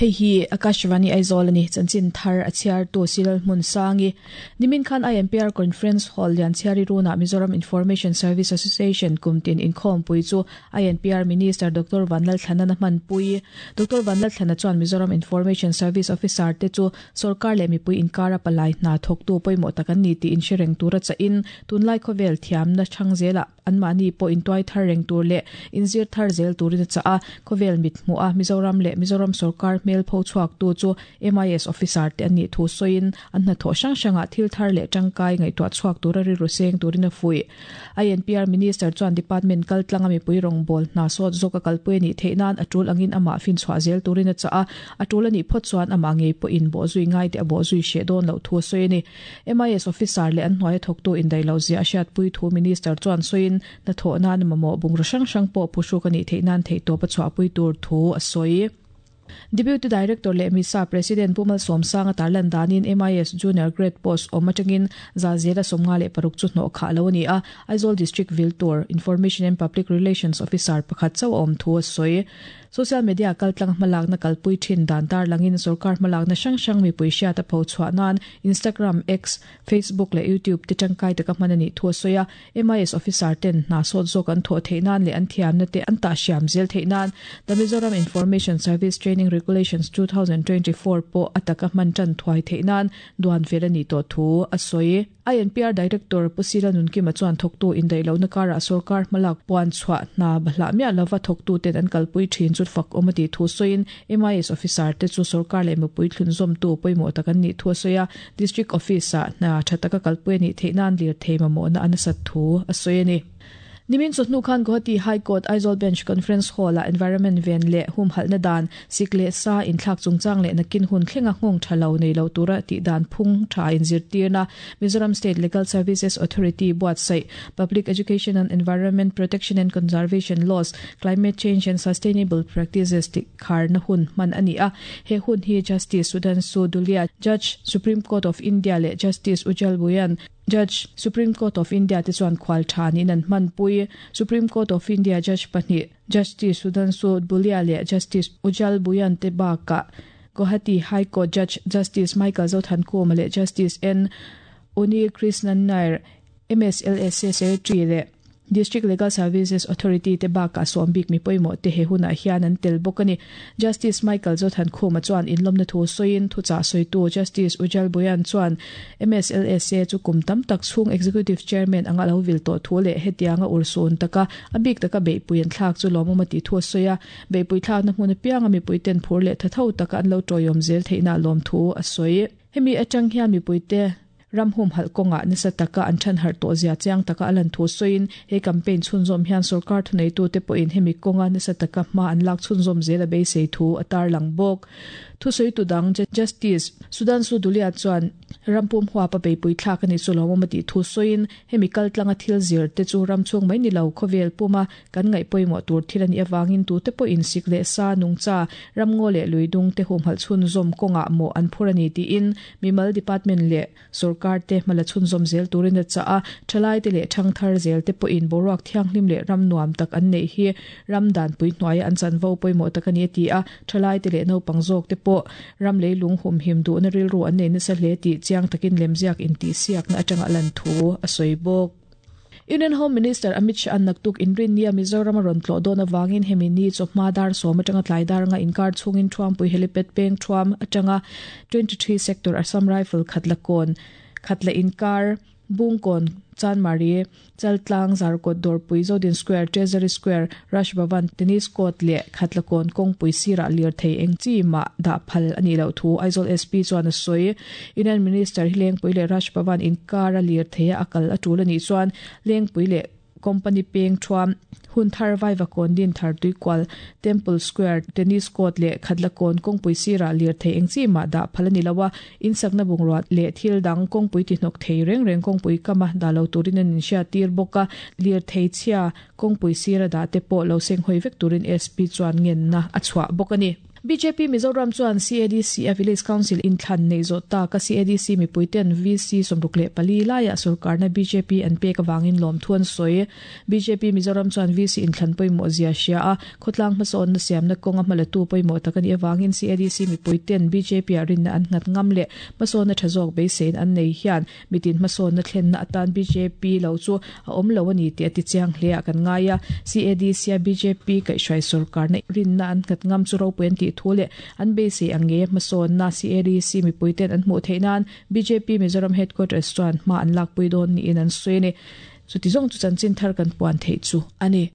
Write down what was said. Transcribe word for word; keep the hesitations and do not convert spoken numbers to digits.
Hei hi Akashvani Aizawl ani chanchin thar a chhiar tu Silal Hmun Sangi nimin khan I N P R Conference Hall Lianchhiari Runa Mizoram Information Service Association kumtin inkhawm pui chu I N P R Minister Doctor Vanlal Thlana hman pui. Doctor Vanlal Thlana chuan Mizoram Information Service Officer te chu sarkar leh mipui inkara palai hna thawktu pawimawh tak an ni tih inhre tura cha in tunlai khawvel thiamna thang zela anmahni pawh intuai thar reng tur leh inzir thar zel turin cha a khawvel mit hmu a Mizoram leh Mizoram sarkar hmel pho chhuak tu chu M I S officer te ani thu soin an hna tho hrang hranga thil thar leh tangkai ngaihtuah chhuak tura ri ru seng turin a fui. I N P R Minister chuan department kal tlanga mi pui rong bol hna sawt zawka kalpui ni theihnan atul angin ama fin chhuah zel turin a cha a atul ani phawt chuan ama ngei pawh in bo zui ngai te a bo zui she dawn lo thu soini. M I S officer leh an hnuai thawktu indai lo zia hriat pui thu minister chuan soin na tho nan mamo bung ro hrang hrang pawh phuhru ka ni theihnan thei to pa chhuah pui tur thu a sawi. Deputy Director leh MISA President Pumal Somsanga tarlan danin M I S Junior Grade Post awm atangin za zela sawmnga leh paruk chu hnawh khah lo ani a. Aizawl District Viltur Information and Public Relations Officer pakhat chauh awm thu a sawi. Social media kaltlang hmalak na kalpui thin dan tar langin sarkar hmalak na hrang hrang mipui hriat a pho chhuah nan Instagram, X, Facebook leh YouTube te tangkai taka hman ani thu a sawi a. M I S officer ten hna sawt zawk an thawh theih nan leh an thiamna te an tah hriam zel theih nan The Mizoram Information Service Training Regulations twenty twenty-four pawh ataka hman tan thuai theih nan duan fel ani to thu a sawi. I N P R Director Pusila Nunkima chuan thawktu indai lo na kara sarkar hmalak puan chhuah hna bahla mia lova thawktu ten an kalpui thin chu fak awmati thu sawiin M I S officer te chu sarkar leh mipui thlun zawm tu pawimawh tak an nih thu a sawi a. District Office ah hna tha taka kalpui ani theih nan lir thei mamawh na an sat thu a sawi ani. Nimin chawhnu khan Guwahati High Court Aizawl Bench Conference Hall a environment ven leh hum halna dan sikle sa inthlak chungchang leh nakin hun thlenga nghawng thalo nei lo tura ti dan phung tha in zirtirna Mizoram State Legal Services Authority buatsaih Public Education and Environment Protection and Conservation Laws, Climate Change and Sustainable Practices ti kharna hun man ani a. He hun hi Justice Sudhanshu Dhulia, Judge, Supreme Court of India, leh Justice Ujjal Bhuyan, Judge, Supreme Court of India te chuan khwal than in an hman pui. Supreme Court of India Judge pahnih, Justice Sudhanshu Dhulia leh Justice Ujjal Bhuyan te baka Guwahati High Court Judge Justice Michael Zothankhuma leh Justice N Unnikrishnan Nair, M S L S A Secretary leh District Legal Services Authority te baka sawm bik mi pawimawh te he hunah hian an tel bawk ani. Justice Michael Zothankhuma chuan inlawmna thu sawiin thuchah sawitu Justice Ujjal Bhuyan chuan M S L S A chu kum tam tak chhung Executive Chairman anga lo vil tawh thu leh hetianga ursun taka a bik taka beihpui an thlak chu lawmawm a tih thu a sawi a. Beihpui thlakna hmun apianga mipui ten phur leh thatho taka an lo tawiawm zel theihna lawm thu a sawi. Hemi atang hian mipui te ram hum hal konga nasa taka an than har to zia chiang taka alan thu soin he campaign chhunzawm hian sarkar thunei tu te pawhin hemi konga nasa taka hma an lak chhunzawm zel a beisei thu a tar lang bawk. Thu soi tu dang Justice Sudhanshu Dhulia chuan rampum huwa pa beipui thlak ani chu lawmawm a tih thu soin hemi kal tlanga thil zir te chu ram chung mai ni lo khawvel puma kan ngaih pawimawh tur thil ani awangin tu te pawhin sik leh sa nungcha ramngaw leh luidung te hum hal chhunzawm kawnga maw an phur ani tiin mimal department leh sarkar te hmala chhunzawm zel turin a cha a. Thalai te leh thangthar zel te pawhin boruak thianghlim leh ram nuam tak an nei hi ram dan pui hnuai an chanvo pawimawh tak ani a ti a. Thalai te leh naupang zawk te pawh ram leilung hum him duh na rilru an nei nasa hle tih chiang takin lemziak in tih siak na atanga lan thu a sawi bawk. Union Home Minister Amit Shah an naktuk inrin nia Mizoram ron tlo dawn awangin hemi ni chawhma dar sawm atanga tlai dar nga inkar chhungin Thuampui Helipad peng thuam atanga twenty-three Sector Assam Rifle Khatlakon Khatla inkar, Bungkon, Chanmari, Chaltlang, Zarkawt, Dawrpui, Zodin Square, Treasury Square, Raj Bhavan Tennis Court leh Khatlakon kawngpui sirah lirthei eng chi ma dah phal ani lo thu Aizawl S P chuan a sawi. Union Minister hi Lengpui leh Raj Bhavan inkar a lirthei a akal a tul ani chuan Lengpui leh Company peng thuam, Hunthar, Vaivakawn, Dinthar, Tuikual, Temple Square, Tennis Court leh Khatlakon kawngpui sirah lirthei eng chi ma dah phal ani lo a. Insakna bungruat leh thil dang kawngpui ti hnawk thei reng reng kawngpui kama dah lo turin an inhriat tir bawk a. Lirthei chhia kawngpui sira dah te pawh lo seng hawi vek turin S P chuan ngenna a chhuah bawk ani. B J P Mizoram chuan C A D C a Village Council inthlan nei zo ta ka C A D C mipuiten V C sawmruk leh pali laia sorkarna B J P an pek awangin lawm thuan sawi. B J P Mizoram chuan V C inthlan pawimawh zia hria a khawtlang hmasawn na siamna kawnga hmalatu pawimawh tak ani awangin C A D C mipuiten B J P a rinna an nghat ngam leh hmasawnna tha zawk beisein an nei hian mitin hmasawnna thlenna atan B J P lo chu a awm lo ani tih a ti chiang hle a kan ngai a. C A D C a B J P kaihhruai sorkarna rinna an nghat ngam chu ropui an tih thu leh an beisei ang nge hmasawnna C A D C mipuiten an hmuh theih nan B J P Mizoram Headquarters chuan hma an lakpui dawn niin an sawi a ni. Chuti zawng chu chanchin thar kan puan theih chu ani.